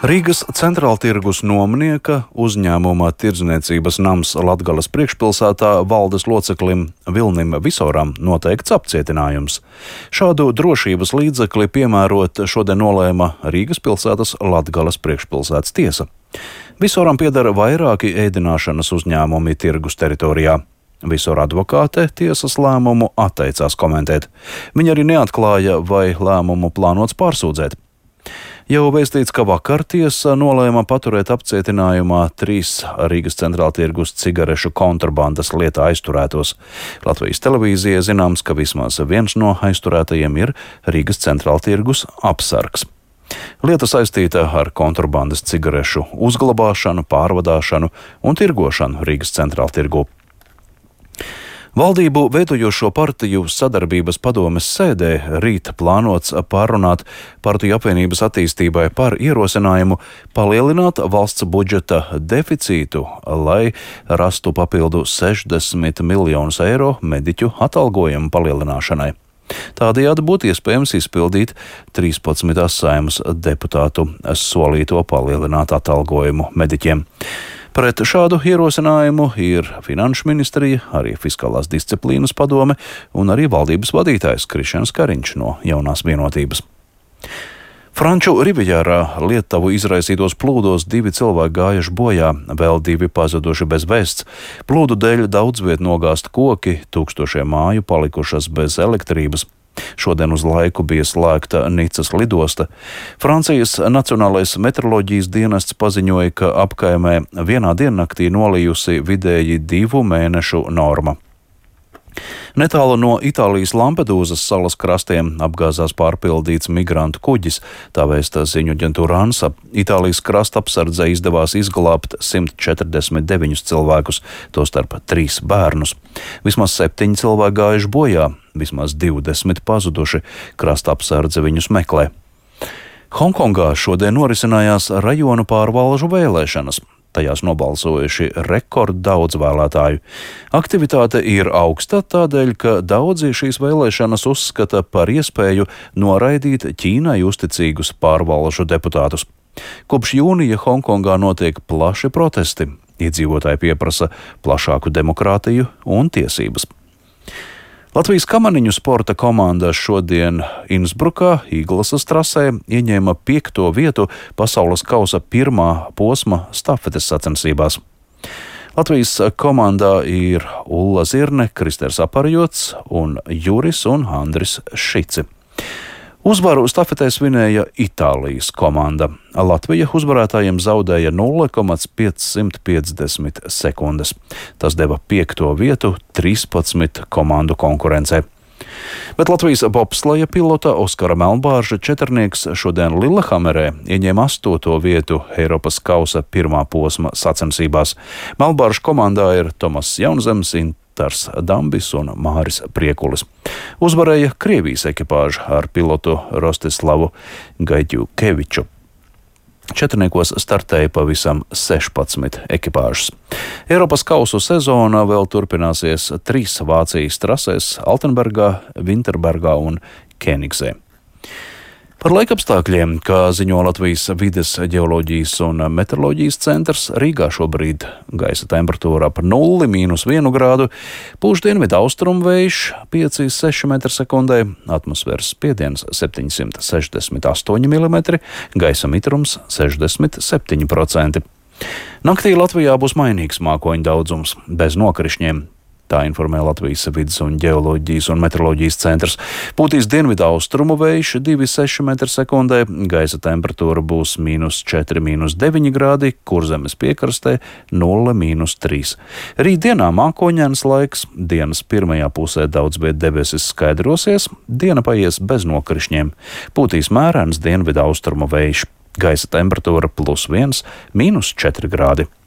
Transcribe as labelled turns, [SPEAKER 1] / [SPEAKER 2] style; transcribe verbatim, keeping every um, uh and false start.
[SPEAKER 1] Rīgas centrāltirgus nomnieka uzņēmuma Tirdzniecības nams Latgales priekšpilsētā valdes loceklim Vilnim Visoram noteikts apcietinājums. Šādu drošības līdzekli piemērot šodien nolēma Rīgas pilsētas Latgales priekšpilsētas tiesa. Visoram pieder vairāki ēdināšanas uzņēmumi tirgus teritorijā. Visora advokāte tiesas lēmumu atteicās komentēt. Viņa arī neatklāja, vai lēmumu plānots pārsūdzēt. Jau vēstīts, ka vakar tiesa nolēma paturēt apcietinājumā trīs Rīgas centrāltirgus cigarešu kontrabandas lietā aizturētos. Latvijas televīzijai zināms, ka vismaz viens no aizturētajiem ir Rīgas centrāltirgus Apsargs. Lieta saistīta ar kontrabandas cigarešu uzglabāšanu, pārvadāšanu un tirgošanu Rīgas centrāltirgu. Valdību veidojošo partiju sadarbības padomes sēdē rīt plānots pārrunāt partiju apvienības attīstībai par ierosinājumu palielināt valsts budžeta deficītu, lai rastu papildu sešdesmit miljonus eiro mediķu atalgojumu palielināšanai. Tādējādi būtu iespējams izpildīt trīspadsmitās Saeimas deputātu solīto palielināt atalgojumu mediķiem. Pret šādu ierosinājumu ir Finanšu ministrija, arī Fiskālās disciplīnas padome un arī valdības vadītājs Krišjāns Kariņš no Jaunās vienotības. Franču Rivijērā Lietuvu izraisītos plūdos divi cilvēki gājuši bojā, vēl divi pazuduši bez vēsts. Plūdu dēļ daudz viet nogāzt koki, tūkstošiem māju palikušas bez elektrības. Šodien uz laiku bija slēgta Nicas lidosta. Francijas Nacionālais meteoroloģijas dienests paziņoja, ka apkaimē vienā diennaktī nolījusi vidēji divu mēnešu norma. Netālu no Itālijas Lampedūzas salas krastiem apgāzās pārpildīts migrantu kuģis, tā vēsta ziņu aģentūra ANSA. Itālijas krasta apsardzē izdevās izglābt simt četrdesmit deviņus cilvēkus, tostarp trīs bērnus. Vismaz septiņi cilvēki gājuši bojā, vismaz divdesmit pazuduši, krasta apsardze viņus meklē. Hongkongā šodien norisinājās rajonu pārvalžu vēlēšanas. Tajās nobalsojuši rekorddaudz vēlētāju. Aktivitāte ir augsta tādēļ, ka daudzi šīs vēlēšanas uzskata par iespēju noraidīt Ķīnai uzticīgus pārvalžu deputātus. Kopš jūnija Hongkongā notiek plaši protesti. Iedzīvotāji pieprasa plašāku demokrātiju un tiesības. Latvijas kamaniņu sporta komanda šodien Insbrukā, Īglasas trasē, ieņēma piekto vietu pasaules kausa pirmā posma stafetes sacensībās. Latvijas komandā ir Ulla Zirne, Kristers Aparjots un Juris un Andris Šici. Uzvaru stafetē svinēja Itālijas komanda. Latvija uzvarētājiem zaudēja nulle komats piecsimt piecdesmit sekundes. Tas deva piekto vietu trīspadsmit komandu konkurencē. Bet Latvijas bobsleja pilota Oskara Melnbārža četrnieks šodien Lillehammerē ieņēma astoto vietu Eiropas kausa pirmā posma sacensībās. Melnbārža komandā ir Tomas Jaunzems, Intars Dambis un Māris Priekulis. Uzvarēja Krievijas ekipāža ar pilotu Rostislavu Gaidjukeviču. Četrniekos startēja pavisam sešpadsmit ekipāžas. Eiropas kausu sezona vēl turpināsies trīs Vācijas trasēs – Altenbergā, Vinterbergā un Kēnigsē. Par laikapstākļiem, kā ziņo Latvijas vides ģeoloģijas un meteoroloģijas centrs, Rīgā šobrīd gaisa temperatūra par nulli mīnus vienu grādu, pūš dienvidu austrumu vējš pieci līdz seši metri sekundē, atmosfēras spiediens septiņsimt sešdesmit astoņi milimetri, gaisa mitrums sešdesmit septiņi procenti. Naktī Latvijā būs mainīgs mākoņu daudzums, bez nokrišņiem. Tā informē Latvijas vides un ģeoloģijas un meteoroloģijas centrs. Pūtīs dienvidu austrumu vējš divi līdz seši metri sekundē, gaisa temperatūra būs mīnus četri, mīnus deviņi grādi, Kurzemes piekrastē nulle, mīnus trīs. Rītdienā mākoņains laiks, dienas pirmajā pusē daudz viet debesis skaidrosies, diena paies bez nokrišņiem. Pūtīs mērens dienvidu austrumu vējš, gaisa temperatūra plus viens, mīnus četri grādi.